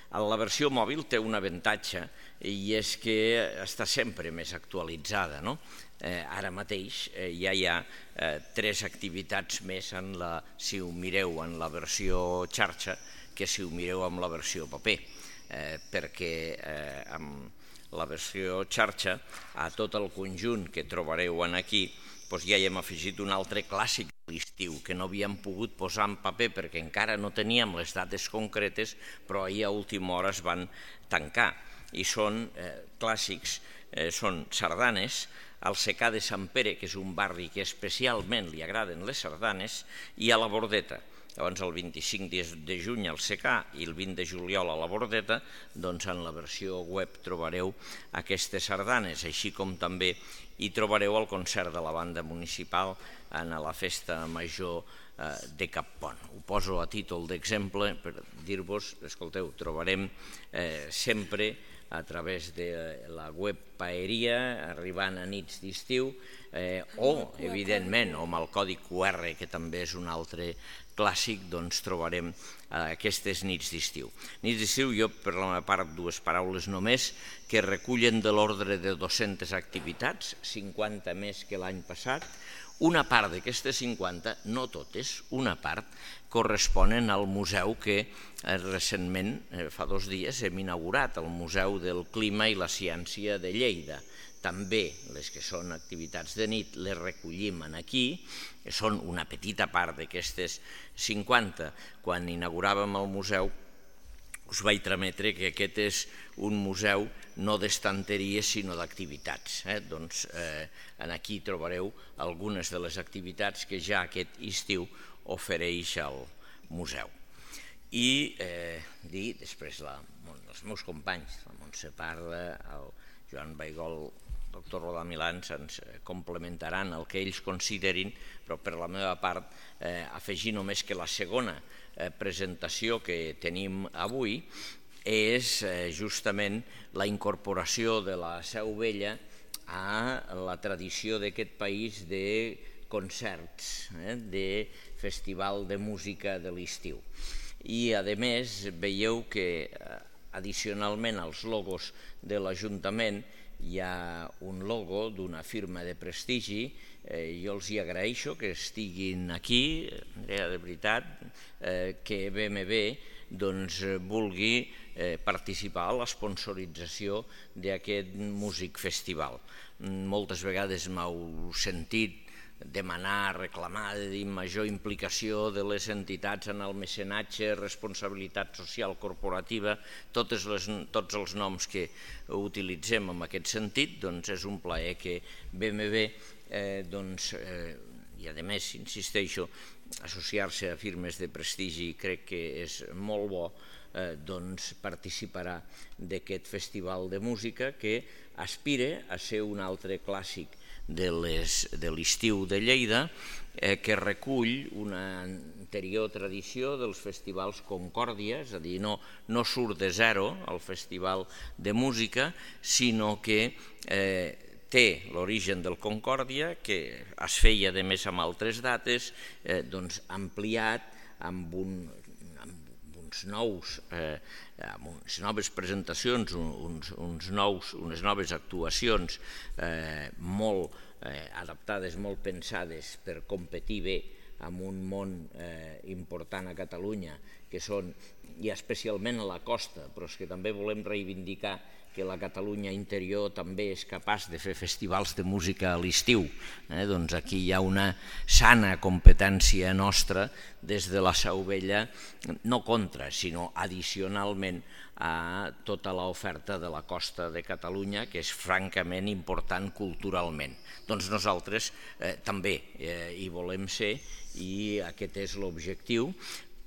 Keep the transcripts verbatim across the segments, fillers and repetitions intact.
La versió mòbil té un avantatge i és que està sempre més actualitzada. Ara mateix ja hi ha tres activitats més, si ho mireu en la versió xarxa, que si ho mireu en la versió paper, perquè amb la versió xarxa, a tot el conjunt que trobareu aquí, ja hi hem afegit un altre clàssic de l'estiu que no havíem pogut posar en paper perquè encara no teníem les dates concretes, però ahir a última hora es van tancar. I són clàssics, són sardanes, al secà de Sant Pere, que és un barri que especialment li agraden les sardanes, i a la Bordeta. Llavors el vint-i-cinc de juny al secà i el vint de juliol a la Bordeta, doncs en la versió web trobareu aquestes sardanes, així com també hi trobareu el concert de la banda municipal en la festa major de Cappont. Ho poso a títol d'exemple per dir-vos, escolteu, trobarem sempre a través de la web Paeria, arribant a nits d'estiu, o, evidentment, amb el codi Q R, que també és un altre clàssic, doncs trobarem aquestes nits d'estiu. Nits d'estiu, jo per la meva part dues paraules només, que recullen de l'ordre de dues-centes activitats, cinquanta més que l'any passat. Una part d'aquestes cinquanta, no totes, una part, corresponen al museu que recentment, fa dos dies, hem inaugurat, el Museu del Clima i la Ciència de Lleida. També les que són activitats de nit les recollim aquí, que són una petita part d'aquestes cinquanta. Quan inauguràvem el museu us vaig trametre que aquest és un museu no d'estanteries sinó d'activitats. Doncs aquí trobareu algunes de les activitats que ja aquest estiu ofereix el museu. I dir, després, els meus companys, la Montse Parra, el Joan Baigol, el doctor Rodà Milans, ens complementaran el que ells considerin, però per la meva part afegir només que la segona presentació que tenim avui és justament la incorporació de la Seu Vella a la tradició d'aquest país de concerts, de festival de música de l'estiu. I, a més, veieu que addicionalment als logos de l'Ajuntament hi ha un logo d'una firma de prestigi. Jo els hi agraeixo que estiguin aquí, Andrea, de veritat, que B M W vulgui participar a l'esponsorització d'aquest músic festival. Moltes vegades m'heu sentit demanar, reclamar, dir major implicació de les entitats en el mecenatge, responsabilitat social corporativa, tots els noms que utilitzem en aquest sentit, doncs és un plaer que B M W, i a més, insisteixo, associar-se a firmes de prestigi crec que és molt bo, doncs participarà d'aquest festival de música que aspira a ser un altre clàssic de l'estiu de Lleida, que recull una anterior tradició dels festivals Concòrdia, és a dir, no surt de zero el festival de música, sinó que té l'origen del Concòrdia, que es feia a més amb altres dates, ampliat amb uns nous, amb unes noves presentacions, unes noves actuacions molt adaptades, molt pensades per competir bé amb un món important a Catalunya, que són, i especialment a la costa, però és que també volem reivindicar que la Catalunya interior també és capaç de fer festivals de música a l'estiu. Doncs aquí hi ha una sana competència nostra des de la Seu Vella, no contra, sinó addicionalment a tota l'oferta de la costa de Catalunya, que és francament important culturalment. Doncs nosaltres també hi volem ser i aquest és l'objectiu,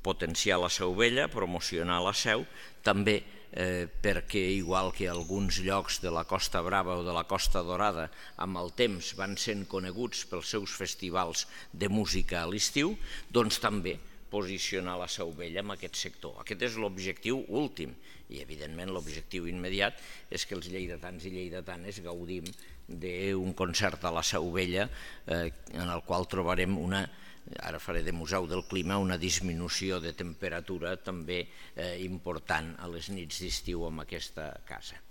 potenciar la Seu Vella, promocionar la Seu, també perquè, igual que alguns llocs de la Costa Brava o de la Costa Dorada amb el temps van sent coneguts pels seus festivals de música a l'estiu, doncs també posicionar la Seu Vella en aquest sector. Aquest és l'objectiu últim i, evidentment, l'objectiu immediat és que els lleidatans i lleidatanes gaudim d'un concert a la Seu Vella en el qual trobarem una ara faré de museu del clima, una disminució de temperatura també important a les nits d'estiu en aquesta casa.